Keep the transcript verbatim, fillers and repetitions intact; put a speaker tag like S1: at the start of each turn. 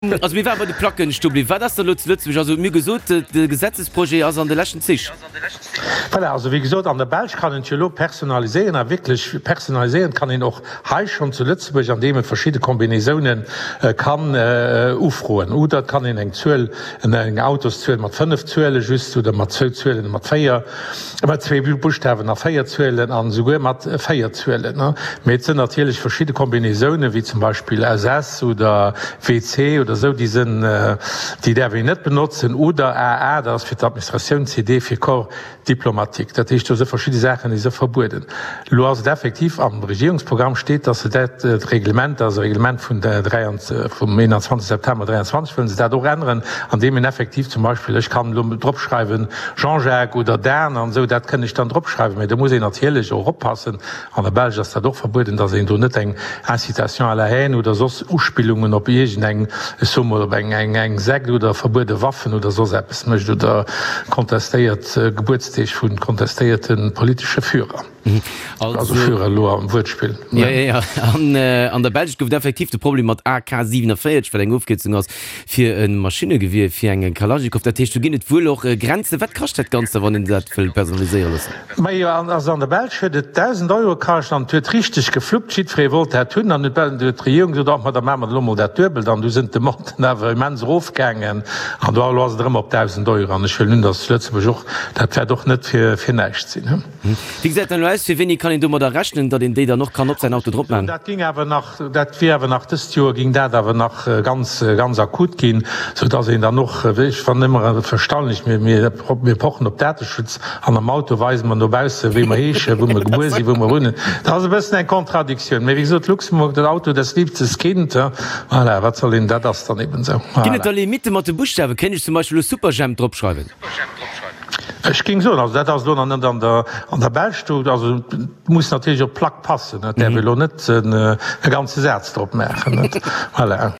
S1: Also mir ware bei de Placken stoe bliwwen. Wat ass da elo zu Lëtzebuerg? Also mir hu gesot, de Gesetzesprojet ass an de leschten Zich.
S2: Voilà, also wéi gesot, an der Belsch kann een et jo elo personaliséieren a wierklech personaliséieren kann een och hei schonn zu Lëtzebuerg, andeem e verschidde Combinaisounen kann ufroen. Oder et kann een eng Zuel, eng Autoszuel mat fënnef Zuele just oder mat zwou Zuelen, mat véier, mat zwee Buschtawen a véier Zuelen an esouguer mat véier Zuelen. Mee et sënn natierlech verschidde Combinaisounen, wéi zum Beispill S S oder W C oder esou, déi sënn, déi däerf een net benotzen, oder A A, dat ass fir d'Administratioun, C D fir Corps diplomatique. Dat heescht, do si verschidde Saachen, déi si verbueden. Elo ass et effektiv, am Regierungsprogramm steet, dass se dat Reglement, dat ass e Reglement vun vum eenanzwanzeg September dräianzwanzeg, wëllen se dat och änneren, andeem een effektiv zum Beispill, ech kann elo dropschreiwen Jean-Jacques oder Dan an esou, dat kënn ech dann dropschreiwen, mä do muss een natierlech och oppassen, an der Belsch ass dat och verbueden, dass een do net eng Incitation à la haine oder soss Uspillungen op iergendeng, ech soe mol, op eng eng Sekt oder verbuede Waffen oder soss eppes mécht oder kontestéiert Gebuertsdeeg vu kontestéierte politesche Führer. Also Führer elo am Wuertspill.
S1: Jo, jo, jo. An an der Belsch gouf et effektiv de Problem mat A K siewenundvierzig, wat eng Ofkierzung ass fir e Maschinnegewier, fir eng Kalaschnikow. Dat heescht, do ginn et wuel och Grenzen. Wat kascht dat Ganzt da, wann een dat wëll personaliséiere loossen?
S2: Majo, also an der Belsch huet et dausend Euro kascht an et huet richteg gefluppt. Jiddweree wollt dat hunn. An huet d'Regierung gesot, Ach, ma da maache mer elo mol dat Duebelt. An du sinn d'Demanden awer immens erofgaangen. An do elo ass et erëm op dausend Euro. An ech huelen un, datt zu Lëtzebuerg och, dat wäert och net fir fir näischt sinn.
S1: Wéi gesäit dat elo aus? Fir wéini kann een domadder rechnen, datt een déi dann och kann op säin Auto drop maachen?
S2: Dat géing awer nach, dat wier awer nach dëst Joer géing dat awer nach ganz, ganz akut ginn, soudatt een dann och, ech fannen ëmmer erstaunlech, mir, mir, mir pochen op Dateschutz an am Auto weise mer no bausse wéi mer heeschen, wou mer gebuer sinn, wou mer wunnen. Dat ass e bëssen eng Contradictioun. Mee wéi gesot, Luxemburg, das Auto, das liebstes Kind, voilà, wat soll een, dat ass dann eben esou.
S1: Ginn et da Limitte mat de Buschtawen? Kéint ech zum Beispill elo Superjhemp dropschreiwen?
S2: Ech géing soen, also dat ass elo nach net an der, an der Belsch do, also et muss natierlech op d'Plack passen, et däerf ee elo net e ganze Saz drop maachen, net? Voilà.